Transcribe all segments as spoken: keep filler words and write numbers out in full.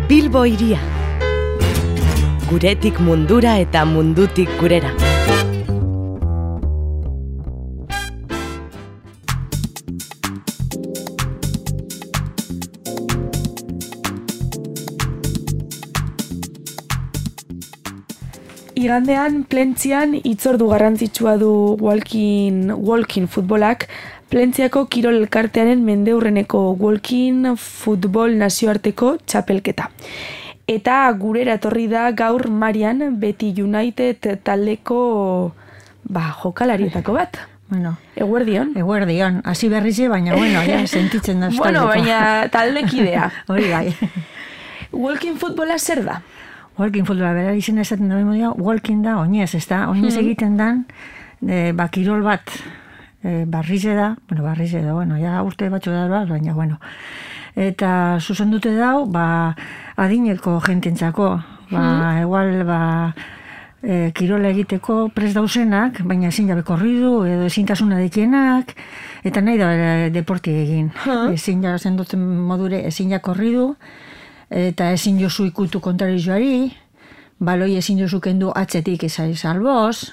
Bilbo hiria. Guretik mundura eta mundutik gurera. Igandean, Plentzian, hitzordu garrantzitsua du walking, walking futbolak, Plentziako kirol elkartearen mendeurreneko walking futbol nazioarteko txapelketa. Eta gurera etorri da gaur Marian Beti United taldeko ba, jokalarietako bat. Bueno, eguerdion. Eguerdion, hasi berrize, baina bueno, ja, sentitzen da. Bueno, baina taldekidea. Hori bai. Walking futbola zer da? Walking futbola, bera izan esaten da, walking da, oinez, ez da, oinez egiten dan, e, ba, kirol bat, e, barrize da, bueno, barrize da, bueno, ja urte batxo da, baina, bueno, eta zuzendute dau, ba, adineko jententzako, ba, igual, ba, e, kirola egiteko prest dauzenak, baina ezin jabe korridu, edo ezintasuna dekienak, eta nahi da deporti egin. Ezin ja zendotzen modure, ezin ja korridu, eta ezin jozu ikutu kontrarizioari, baloi ezin jozu kendu atzetik ezai salboz,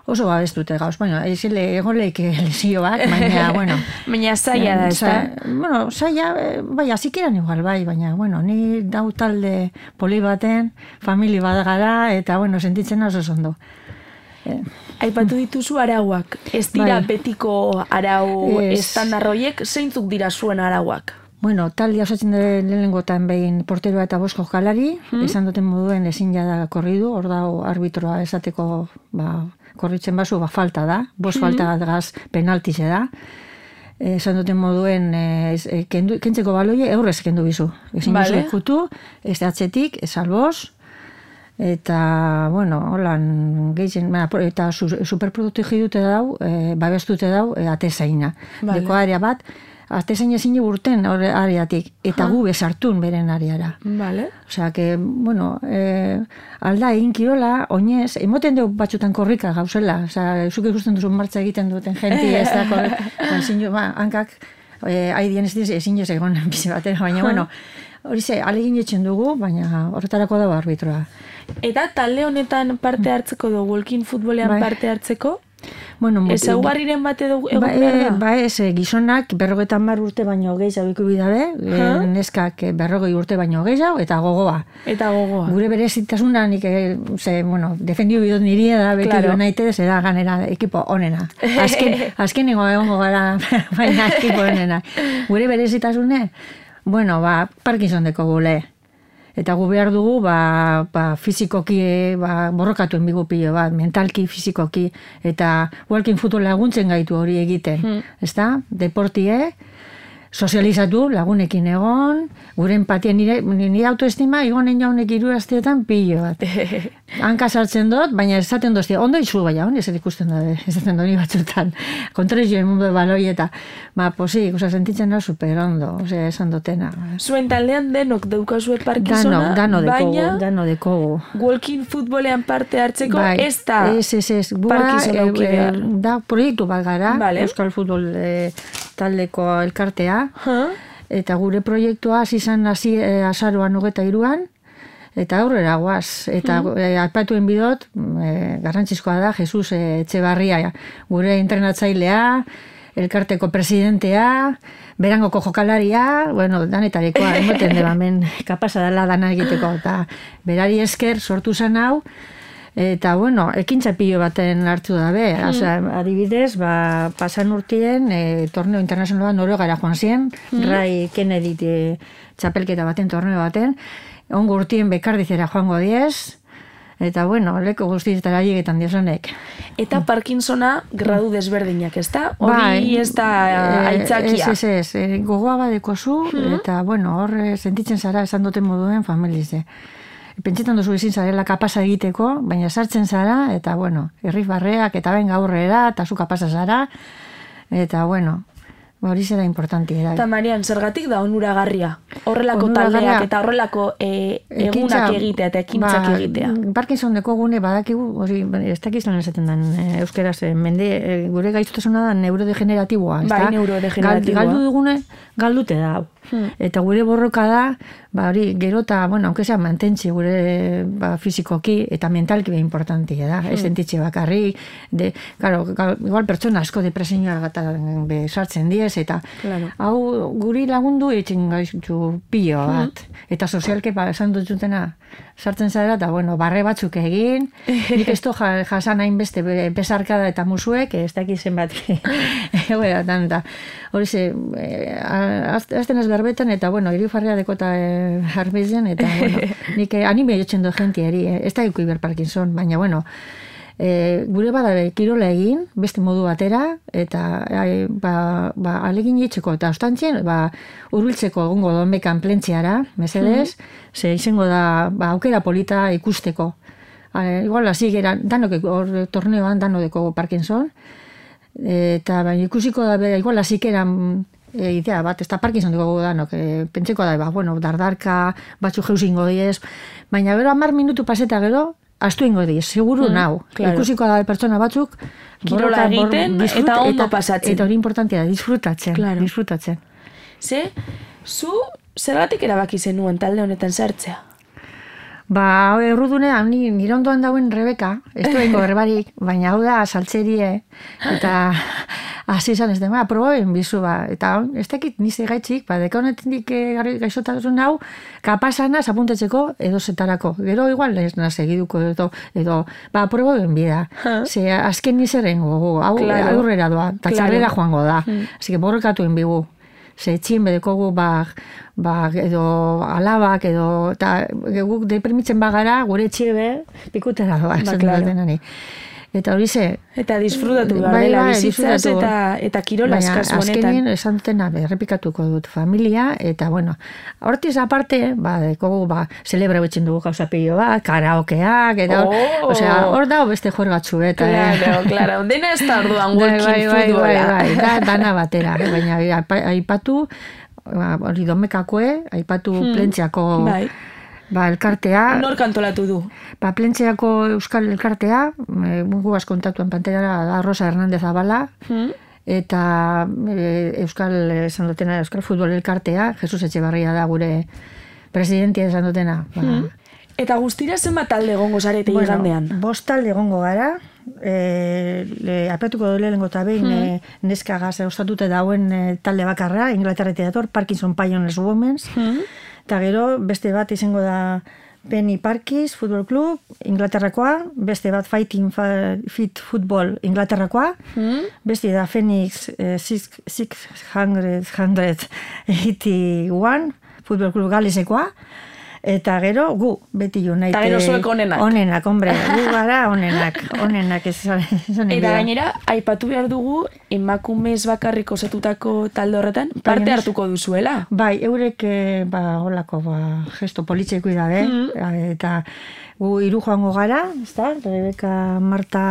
oso babestute gauz, baina, ezile egon leike lesio bat, baina, bueno. Baina zaila da, ez da? Bueno, zaila, bai, azikeran igual, bai, baina, bueno, ni dau talde poli baten, famili bat gara, eta, bueno, sentitzen oso zondo. Aipatu dituzu arauak, ez dira betiko arau estandarroiek, zeintzuk dira zuen arauak? Bueno, talde osatzen dure lehenengotan behin porteroa eta bost jokalari, esan duten moduen ezin jada korridu, hor dago arbitroa esateko ba, korritzen basu, ba, falta da, bost falta bat gaz penaltize da. Esan duten moduen e, kendu, kentzeko baloie eurrez kendu bizu. Ezin vale. Bizu ikutu, ez atzetik, ez alboz, eta, bueno, holan gehien, eta su, superproduktegi dute dau, e, babestute dau, e, atezaina. Vale. Deko area bat, atezain ezin urten areatik, eta gu bezartun beren areara. Vale. Osea, que, bueno, eh, alda egin kirola, oinez, emoten dugu batxutan korrika gauzela. Osea, zuk ikusten duzu martza egiten duten jenti, ez da korrika. Ezin jo, ba, hankak, eh, haidien ez diz, ezin jo egon bizi batera, baina, bueno, hori ze, alegin etxen dugu, baina horretarako dago arbitroa. Eta talde honetan parte hartzeko du, walking futbolean bai. Parte hartzeko? Bueno, ez augarriren bat edo egon ba, behar da? Ba ez, gizonak berrogetan mar urte baino gehiago iku bidabe, neskak berrogei urte baino gehiago, eta gogoa. Eta gogoa. Gure berezitasuna, nik, ze, bueno, defendio bidot niria da, beti claro. Naite, ze da ganera ekipo onena. Azken, azken ego egongo gara, baina ekipo onena. Gure berezitasune, bueno, ba, Parkinson deko gule. Eta gu behar dugu, ba, ba, fizikoki, ba, borrokatuen bigu pilo bat, mentalki, fizikoki, eta walking futbol laguntzen gaitu hori egiten, hmm. ezta? Deportie, sozializatu, lagunekin egon, gure empatia, nire, nire autoestima, egonen jaunek irurazteetan pilo bat. Hanka sartzen dut, baina esaten doztia, ondo izu baina, hon, ez ikusten da, esaten doni batzutan, kontrazioen mundu baloi eta, ba, posik, oza, sentitzen da super ondo, oza, esan dutena. Zuen taldean denok daukazue Parkinsona, dano, dano baina, dano dekogu. Walking futbolean parte hartzeko, bai, ez da ez, ez, ez. Parkinson auki behar. Da, proiektu bat gara, vale. Euskal Futbol e, taldeko elkartea, huh? Eta gure proiektua hasi izan hasi e, azaroan hogeta iruan, eta aurrera guaz. Eta hmm. e, aipatuen bidot, e, garrantzizkoa da, Jesus e, Etxebarria, gure entrenatzailea, elkarteko presidentea, berangoko jokalaria, bueno, danetarekoa, emoten deba, men, kapasa dela dana egiteko, eta berari esker sortu zen hau, eta, bueno, ekintza pilo baten hartu dabe. Hmm. Osa, adibidez, ba, pasan urtien, e, torneo internazionala Noruegara joan ziren, hmm. Ray Kennedy e, txapelketa baten, torneo baten, ongo urtien bekardizera joango diez, eta, bueno, leko guztietara llegetan diozonek. Eta Parkinsona gradu desberdinak, ez da? Hori bai, ez da aitzakia. Ez, ez, ez, gogoa badeko zu, hmm. eta, bueno, hor sentitzen zara esan duten moduen familize. Pentsetan duzu ezin zarela kapasa egiteko, baina sartzen zara, eta, bueno, irrif barreak, eta ben gaurrera, eta zu kapasa zara, eta, bueno, hori zera importanti. Eta, Marian, zergatik da onuragarria? Horrelako taldeak eta horrelako e, egunak egitea eta ekintzak ba, egitea. Parkinson deko gune badakigu, hori, ez dakizlan esaten den, e, euskeraz, e, mende, e, gure gaiztasuna da neurodegeneratiboa. Bai, neurodegeneratiboa. Gal, galdu dugune, galdute da. Hmm. Eta gure borroka da, ba hori, gero eta, bueno, aunque sea mantentzi gure ba, fizikoki eta mentalki be importantia da, hmm. ez sentitxe bakarrik, de, claro, igual pertsona asko depresioa gata be sartzen diez, eta claro. Hau guri lagundu etxen gaitu pilo bat, hmm. eta sozialke ba, esan dut zutena, sartzen zara, eta bueno, barre batzuk egin, nik ez to jasan hainbeste besarkada eta musuek, ez dakiz zenbat, egoera, eta hori ze, azten ez garbetan, eta bueno, irifarria dekota jarbezen, eta bueno, nik anime jotzen du jentiari, ez da iku Iber Parkinson, baina bueno, E, gure bada kirola egin, beste modu batera, eta e, ba, ba, alegin itxeko, eta ostantzien, ba, urbiltzeko egongo donbekan plentziara, mesedez, mm. ze izango da ba, aukera polita ikusteko. E, igual, hasi gera, danok hor torneoan, danodeko Parkinson, eta ba, ikusiko da, be, igual, hasi geran e, idea bat, ez da Parkinson dugu danok, e, pentseko da, ba, bueno, dardarka, batzu jeuzingo diez, baina gero hamar minutu paseta gero, astu ingo diz, seguru mm, nau. Claro. Ikusiko da pertsona batzuk kirola egiten bor, disfrut, eta ondo pasatzen. Eta hori importantia da, disfrutatzen. Claro. Disfrutatzen. Ze, zu zergatik erabaki zenuen talde honetan sartzea? Ba, errudunean, ni nire ondoan dauen Rebeka, ez du bengo berbarik, baina hau da saltzerie, eta hasi izan ez dema, proboen bizu ba, eta ez dakit nize gaitxik, ba, deka honetik gaixotasun hau, kapasana apuntetzeko edo zetarako. Gero igual ez na segiduko edo, edo ba, proboen bida. Ze azken nizeren gogu, hau claro. Aurrera doa, eta claro. Txarrera joango da. Hmm. Asi que borrekatuen bigu. Ze etxin bedekogu ba, ba, edo alabak edo eta guk deprimitzen bagara gure etxiebe pikutera doa. Ba, claro. Eta hori ze... Eta disfrutatu behar dela bizitzaz eta, eta kirola eskazu honetan. Azkenien esan dutena errepikatuko dut familia, eta bueno, hortiz aparte, ba, dekogu, ba, celebra betxen dugu gauza pilo bat, karaokeak, eta hor, oh. Osea, hor dago beste juergatzu, eta... Claro, eh. Claro, dena ez da orduan walking futbola. Bai, bai, bai, da, dana batera, baina aipatu, hori domekakoe, aipatu hmm. Plentziako... Bai. Ba, elkartea... Nor kantolatu du? Ba, Plentziako Euskal Elkartea, e, mungu kontatuan pantera da Rosa Hernández Abala, hmm. eta e, Euskal, esan dutena, Euskal Futbol Elkartea, Jesus Etxebarria da gure presidentia esan dutena. Ba. Hmm. Eta guztira zenbat talde egongo zarete bueno, igandean? Bost talde egongo gara, e, apetuko dole lengo eta behin hmm. e, neskagaz ostatute dauen e, talde bakarra, Inglaterretea dator, Parkinson Pioneers Women's, hmm. Eta gero, beste bat izango da Penny Parkis Football Club, Inglaterrakoa, beste bat Fighting Fit Football Inglaterrakoa, mm. beste da Phoenix eh, six hundred eighty-one Football Club Galesekoa, eta gero gu, beti United. Eta gero zuek onenak. Onenak, hombre, gu gara onenak, onenak esan Eta gainera, aipatu behar dugu, emakumez bakarrik osatutako talde horretan, parte hartuko duzuela. Bai, eurek, ba, holako, ba, gesto politxeko idabe, mm. eta gu hiru joango gara, ezta? Rebeka, Marta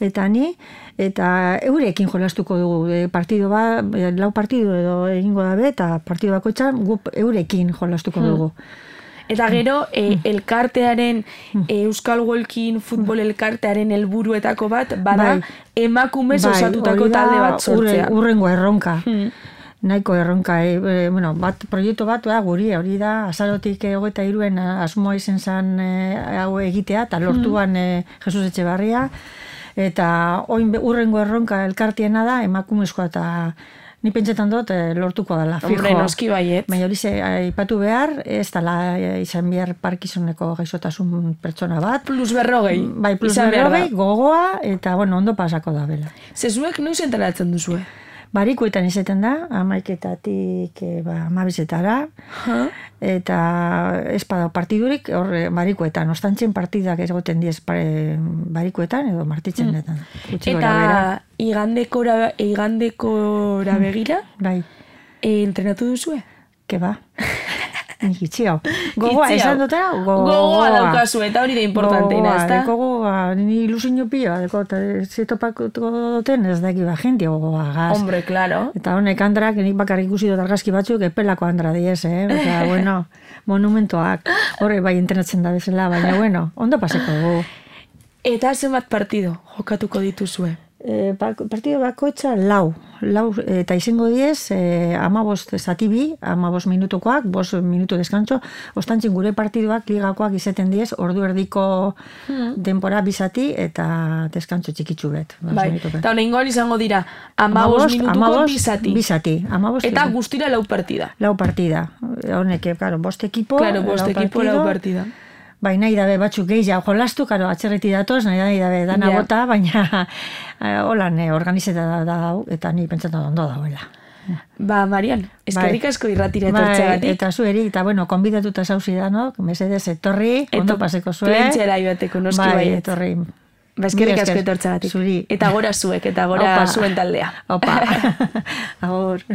eta ni, eta eurekin jolastuko dugu, partido ba, lau partido edo egingo dabe, eta partido bakoitzan gu eurekin jolastuko dugu. Mm. Eta gero, e, elkartearen, e, Euskal Walking futbol elkartearen helburuetako bat, bada bai. Emakumez bai, osatutako talde bat sortzea. Urrengo erronka. Hmm. Nahiko erronka. E, e, bueno, bat, proiektu bat, ba, guri, hori da, azarotik hogeita hiruen asmoa izen zan e, hau egitea, eta lortuan e, Jesus Etxebarria. Eta oin urrengo erronka elkartiena da, emakumezkoa eta... Ni pentsetan dut lortuko dela, fijo. Hombre, noski baiet. Baina hori ze, aipatu behar, ez dela izan behar Parkinsoneko gaixotasun pertsona bat. Plus berrogei. Bai, plus berrogei, gogoa, eta bueno, ondo pasako da bela. Zezuek noiz enteratzen duzue? Barikuetan izaten da, amaiketatik ba, amabizetara, huh? Eta espada partidurik, hor barikuetan, ostantzen partidak egoten diez barikuetan, edo martitzen detan. Hmm. Eta igandekora, igandekora begira, bai. E, entrenatu duzue? Ke ba? Itxio. Gogoa, esan dutena? Gogoa daukazu, eta hori da importanteina, ez da? Gogoa, ni ilusinio pila, deko, eta zetopako duten ez daki ba, gente gogoa, gaz. Hombre, claro. Eta honek andrak, nik bakarrik ikusi dut argazki batzuk, epelako andra diez, eh? Eta, bueno, monumentoak, horre bai entrenatzen da bezala, baina, bueno, ondo paseko dugu. Eta zenbat partido jokatuko dituzue? E, partido bakoitza lau, lau eta izango diez, e, amabost zati bi, amabost minutukoak, bost minutu deskantzo, ostantzin gure partiduak ligakoak izeten diez, ordu erdiko hmm. denpora bizati eta deskantzo txikitsu bet. Bai, eta honengoan izango dira, amabost minutuko bizati. Bizati, amabost. Eta guztira lau partida. Lau partida. Honek, claro, bost ekipo, claro, bost lau ekipo, partido, lau partida. Bai, nahi dabe batzuk gehiago jolastu, karo, atxerreti datoz, nahi dabe dana yeah. bota, baina holan eh, organizeta da, da eta ni pentsatu ondo dauela. Ba, Marian, eskerrik asko irratira etortzeagatik. Bai, eta zueri, eta bueno, konbidatuta zauzi da, no? Mesedez, etorri, ondo paseko zuen. Plentxera ibateko, noski bai, baiet. Etorri. Ba, eskerrik asko etortzeagatik. Zuri. Eta gora zuek, eta gora Opa. zuen taldea. Opa. Agur.